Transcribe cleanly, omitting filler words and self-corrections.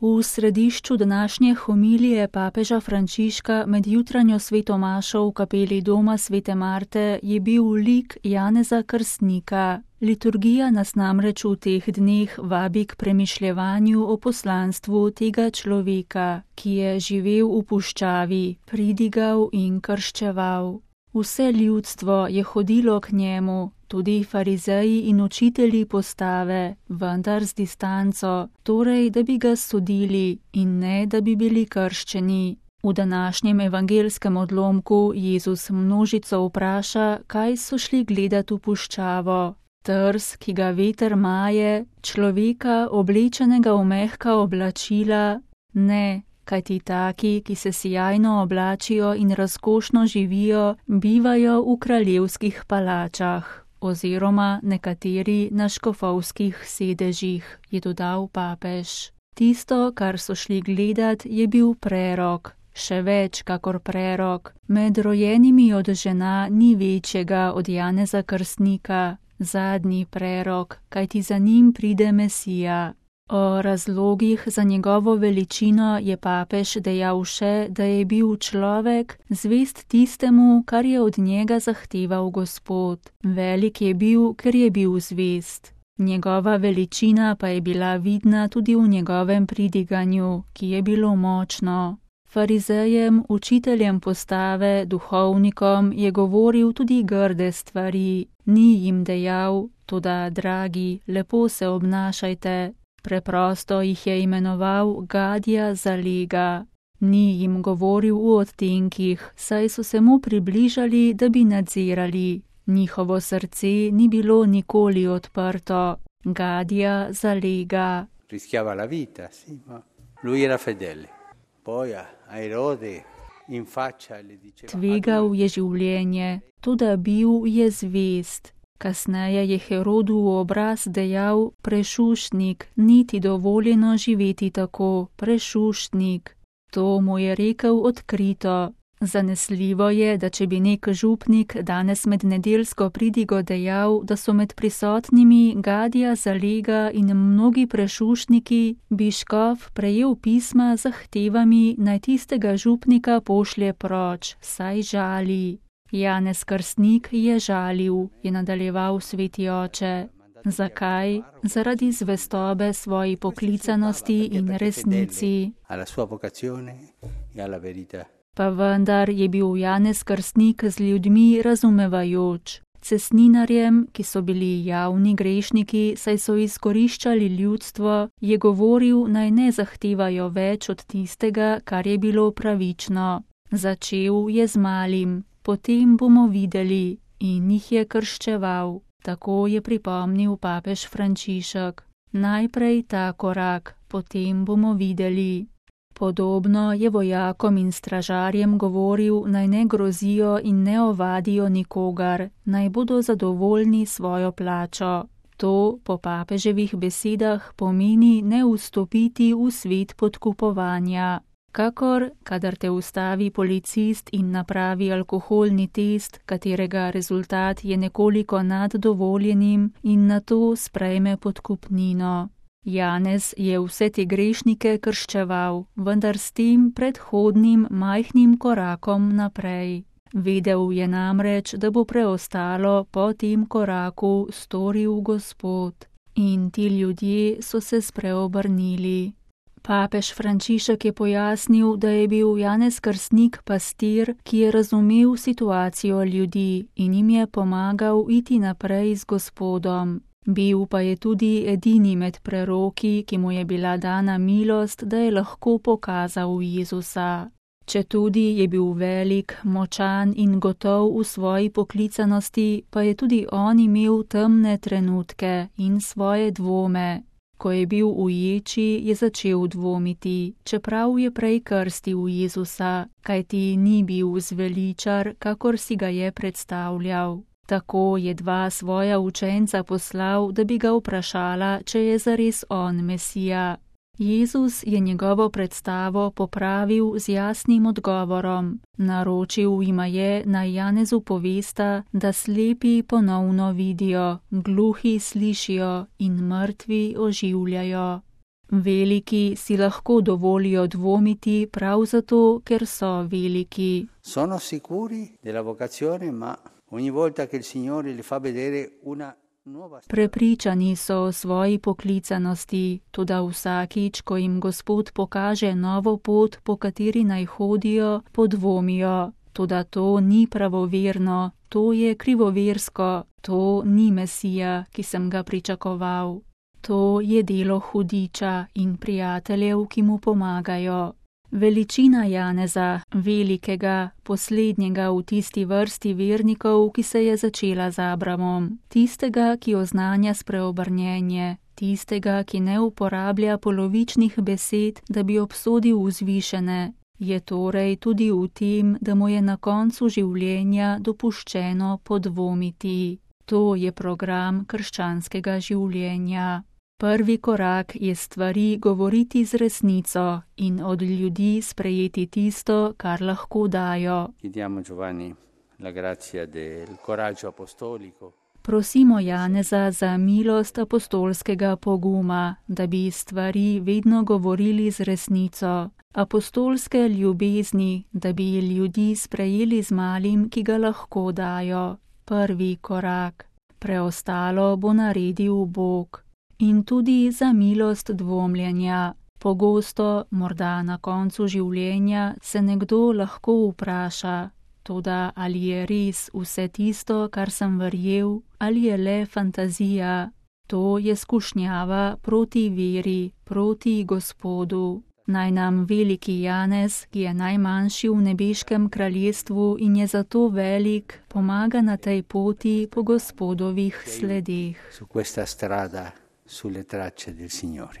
V središču današnje homilije papeža Frančiška med jutranjo sveto mašo v kapeli doma svete Marte je bil lik Janeza Krstnika. Liturgija nas namreč v teh dneh vabi k premišljevanju o poslanstvu tega človeka, ki je živel v puščavi, pridigal in krščeval. Vse ljudstvo je hodilo k njemu, tudi farizeji in učitelji postave, vendar z distanco, torej da bi ga sodili in ne da bi bili krščeni. V današnjem evangelskem odlomku Jezus množico vpraša, kaj so šli gledat v puščavo. Trs, ki ga veter maje, človeka oblečenega v mehka oblačila, ne. Kajti taki, ki se sijajno oblačijo in razkošno živijo, bivajo v kraljevskih palačah, oziroma nekateri na škofovskih sedežih, je dodal papež. Tisto, kar so šli gledat, je bil prerok, še več kakor prerok. Med rojenimi od žena ni večjega od Janeza Krstnika, zadnji prerok, kajti za njim pride Mesija. O razlogih za njegovo veličino je papež dejal še, da je bil človek zvest tistemu, kar je od njega zahteval Gospod. Velik je bil, ker je bil zvest. Njegova veličina pa je bila vidna tudi v njegovem pridiganju, ki je bilo močno. Farizejem, učiteljem postave, duhovnikom je govoril tudi grde stvari. Ni jim dejal, toda, dragi, lepo se obnašajte. Preprosto jih je imenoval gadja zalega. Ni jim govoril v odtenkih, saj so se mu približali, da bi nadzirali. Njihovo srce ni bilo nikoli odprto. Gadja zalega. Rischiava la vita, sì, ma lui era fedele. Poi a Erode in faccia le diceva. Tvegal je življenje, toda bil je zvest. Kasneje je Herodu v obraz dejal: prešuštnik, ni ti dovoljeno živeti tako, prešuštnik. To mu je rekel odkrito. Zanesljivo je, da če bi nek župnik danes med nedeljsko pridigo dejal, da so med prisotnimi gadja zalega in mnogi prešuštniki, bi škof prejel pisma z zahtevami, naj tistega župnika pošlje proč, saj žali. Janez Krstnik je žalil, je nadaljeval sveti oče. Zakaj? Zaradi zvestobe svoji poklicanosti in resnici. Pa vendar je bil Janez Krstnik z ljudmi razumevajoč. Cesninarjem, ki so bili javni grešniki, saj so izkoriščali ljudstvo, je govoril, naj ne zahtevajo več od tistega, kar je bilo pravično. Začel je z malim. Potem bomo videli, in jih je krščeval. Tako je pripomnil papež Frančišek. Najprej ta korak, potem bomo videli. Podobno je vojakom in stražarjem govoril, naj ne grozijo in ne ovadijo nikogar, naj bodo zadovoljni svojo plačo. To po papeževih besedah pomeni ne vstopiti v svet podkupovanja. Kakor, kadar te ustavi policist in napravi alkoholni test, katerega rezultat je nekoliko nad dovoljenim in nato sprejme podkupnino. Janez je vse te grešnike krščeval, vendar s tem predhodnim majhnim korakom naprej. Vedel je namreč, da bo preostalo po tem koraku storil Gospod. In ti ljudje so se spreobrnili. Papež Frančišek je pojasnil, da je bil Janez Krstnik pastir, ki je razumel situacijo ljudi in jim je pomagal iti naprej z Gospodom. Bil pa je tudi edini med preroki, ki mu je bila dana milost, da je lahko pokazal Jezusa. Četudi je bil velik, močan in gotov v svoji poklicanosti, pa je tudi on imel temne trenutke in svoje dvome. Ko je bil v ječi, je začel dvomiti, čeprav je prej krstil Jezusa, kajti ni bil zveličar, kakor si ga je predstavljal. Tako je dva svoja učenca poslal, da bi ga vprašala, če je zares on Mesija. Jezus je njegovo predstavo popravil z jasnim odgovorom. Naročil jima je, naj Janezu povesta, da slepi ponovno vidijo, gluhi slišijo in mrtvi oživljajo. Veliki si lahko dovolijo dvomiti prav zato, ker so veliki. Sono sicuri della vocazione, ma ogni volta che il Signore li fa vedere una nuova strada. Prepričani so o svoji poklicanosti, toda vsakič, ko jim Gospod pokaže novo pot, po kateri naj hodijo, podvomijo. Toda to ni pravoverno, to je krivoversko, to ni Mesija, ki sem ga pričakoval. To je delo hudiča in prijateljev, ki mu pomagajo. Veličina Janeza, velikega, poslednjega v tisti vrsti vernikov, ki se je začela z Abramom, tistega, ki oznanja spreobrnjenje, tistega, ki ne uporablja polovičnih besed, da bi obsodil vzvišene, je torej tudi v tem, da mu je na koncu življenja dopuščeno podvomiti. To je program krščanskega življenja. Prvi korak je stvari govoriti z resnico in od ljudi sprejeti tisto, kar lahko dajo. Prosimo Janeza za milost apostolskega poguma, da bi stvari vedno govorili z resnico, apostolske ljubezni, da bi ljudi sprejeli z malim, ki ga lahko dajo. Prvi korak. Preostalo bo naredil Bog. In tudi za milost dvomljenja. Pogosto, morda na koncu življenja, se nekdo lahko vpraša, toda ali je res vse tisto, kar sem verjel, ali je le fantazija. To je skušnjava proti veri, proti Gospodu. Naj nam veliki Janez, ki je najmanjši v nebeškem kraljestvu in je zato velik, pomaga na tej poti po Gospodovih sledeh. Su questa strada sulle tracce del Signore.